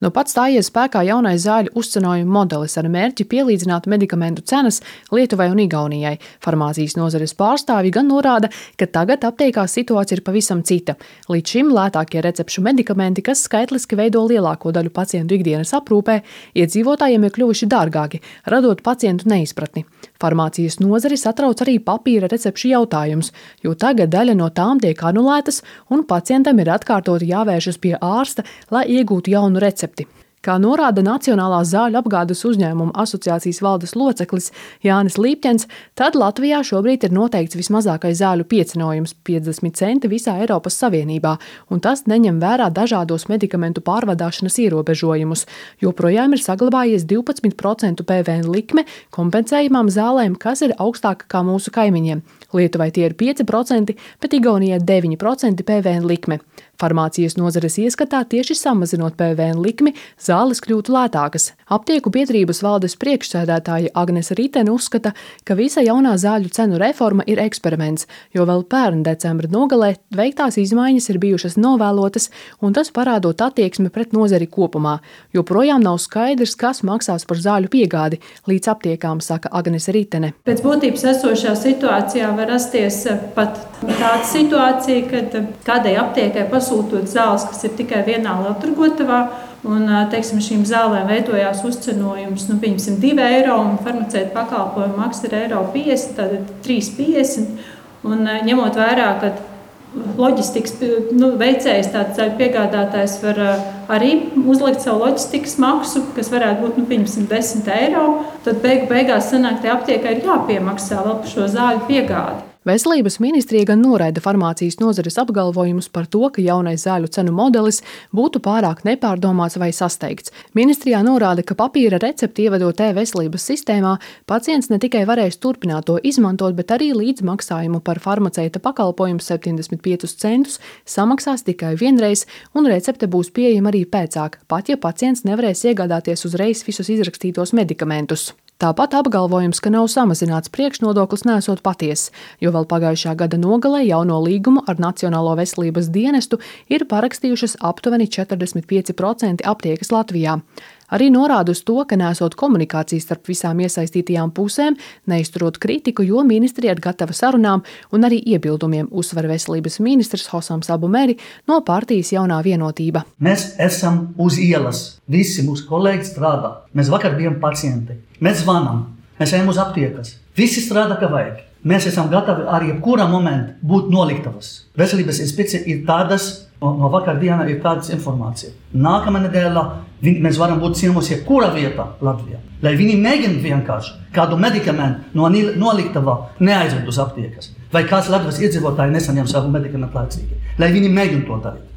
Nu pat stājies spēkā jaunais zāļu uzcenojuma modelis ar mērķi pielīdzināt medikamentu cenas Lietuvai un Igaunijai. Farmācijas nozares pārstāvji gan norāda, ka tagad aptiekās situācija ir pavisam cita. Līdz šim lētākie recepšu medikamenti, kas skaitliski veido lielāko daļu pacientu ikdienas aprūpē, iedzīvotājiem ir kļuvuši dārgāki, radot pacientu neizpratni. Farmācijas nozari satrauc arī papīra recepšu jautājums, jo tagad daļa no tām tiek anulētas un pacientam ir atkārtoti jāvēršas pie ārsta, lai iegūtu jaunu recepti. Kā norāda Nacionālās zāļu apgādes uzņēmumu asociācijas valdes loceklis Jānis Līpķens, tad Latvijā šobrīd ir noteikts vismazākais zāļu piecenojums - 50 centi visā Eiropas Savienībā, un tas neņem vērā dažādos medikamentu pārvadāšanas ierobežojumus. Joprojām ir saglabājies 12% PVN likme kompensējumām zālēm, kas ir augstāka kā mūsu kaimiņiem. Lietuvai tie ir 5%, bet Igaunijai 9% PVN likme. Farmācijas nozares ieskatā tieši samazinot PVN likmi, zāles kļūtu lētākas. Aptieku biedrības valdes priekšsēdētāja Agnese Ritene uzskata, ka visa jaunā zāļu cenu reforma ir eksperiments, jo vēl pērn decembra nogalē veiktās izmaiņas ir bijušas novēlotas, un tas parādot attieksmi pret nozari kopumā. Joprojām nav skaidrs, kas maksās par zāļu piegādi līdz aptiekām, saka Agnese Ritene. Pēc būtības esošā situācijā var rasties pat tāda situācija, kad kādai aptiekai pasūtot zāles, kas ir tikai vienā lielturgotavā, un, teiksim, šīm zālēm veidojās uzcenojums, pieņemsim, 2 eiro, un farmaceita pakalpojuma maksa ir 1,50, tad 3,50. Un ņemot vērā, ka loģistikas veicējs, tāds zaļu piegādātājs var arī uzlikt savu loģistikas maksu, kas varētu būt, pieņemsim, 10 eiro, tad beigās sanāk, ka aptiekai ir jāpiemaksā vēl par šo zāļu piegādi. Veselības ministrija gan noraida farmācijas nozares apgalvojumus par to, ka jaunais zāļu cenu modelis būtu pārāk nepārdomāts vai sasteigts. Ministrijā norāda, ka papīra recepti ievedot e-veselības sistēmā, pacients ne tikai varēs turpināt to izmantot, bet arī līdzmaksājumu par farmaceita pakalpojumu 75 centus samaksās tikai vienreiz, un recepte būs pieejama arī pēcāk, pat ja pacients nevarēs iegādāties uzreiz visus izrakstītos medikamentus. Tāpat apgalvojums, ka nav samazināts priekšnodoklis, nesot patiess, jo vēl pagājušā gada nogalē jauno līgumu ar Nacionālo veselības dienestu ir parakstījušas aptuveni 45% aptiekas Latvijā. Arī norāda uz to, ka nesot komunikācijas starp visām iesaistītajām pusēm, neizturot kritiku, jo ministrija ir gatava sarunām un arī iebildumiem, uzsver veselības ministrs Hosams Abumeri no partijas Jaunā vienotība. Mēs esam uz ielas, visi mūsu kolēģi strādā. Mēs vakar bijām pacienti, mēs zvanām, mēs ejam uz aptiekas, visi strādā kā vajag. Mēs esam gatavi arī jebkurā momentā būt noliktavas. Veselības inspekcija ir tādas, no vakardiena ir tādas informācija. Nākamā nedēļā mēs varam būt ciemos jebkurā vietā Latvijā. Lai viņi mēģina vienkārši kādu medikamentu no noliktavā neaizved uz aptiekas. Vai kāds Latvijas iedzīvotāji nesaņem savu medikamentu laicīgi. Lai viņi mēģina to darīt.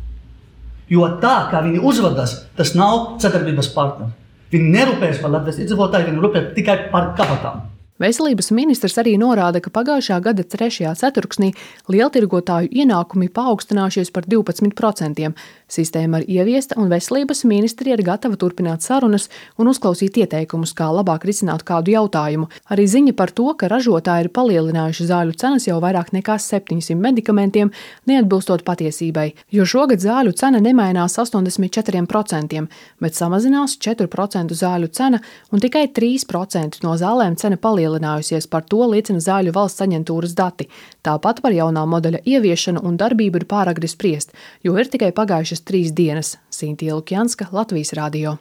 Jo tā, kā viņi uzvedas, tas nav sadarbības partneri. Viņi nerūpējas par Latvijas iedzīvotāju, viņi rūpējas tikai par kabatām. Veselības ministrs arī norāda, ka pagājušā gada 3. ceturksnī lieltirgotāju ienākumi paaugstinājušies par 12%. Sistēma ir ieviesta un veselības ministrija ir gatava turpināt sarunas un uzklausīt ieteikumus, kā labāk risināt kādu jautājumu. Arī ziņa par to, ka ražotāji ir palielinājuši zāļu cenas jau vairāk nekā 700 medikamentiem, neatbilstot patiesībai, jo šogad zāļu cena nemainās 84%, bet samazinās 4% zāļu cena un tikai 3% no zālēm cena palielinājusies, par to liecina Zāļu valsts aģentūras dati. Tāpat par jaunā modeļa ieviešanu un darbību ir pāragri spriest, jo ir tikai pagājušas 3 dienas. Sintīja Lukjanska, Latvijas radio.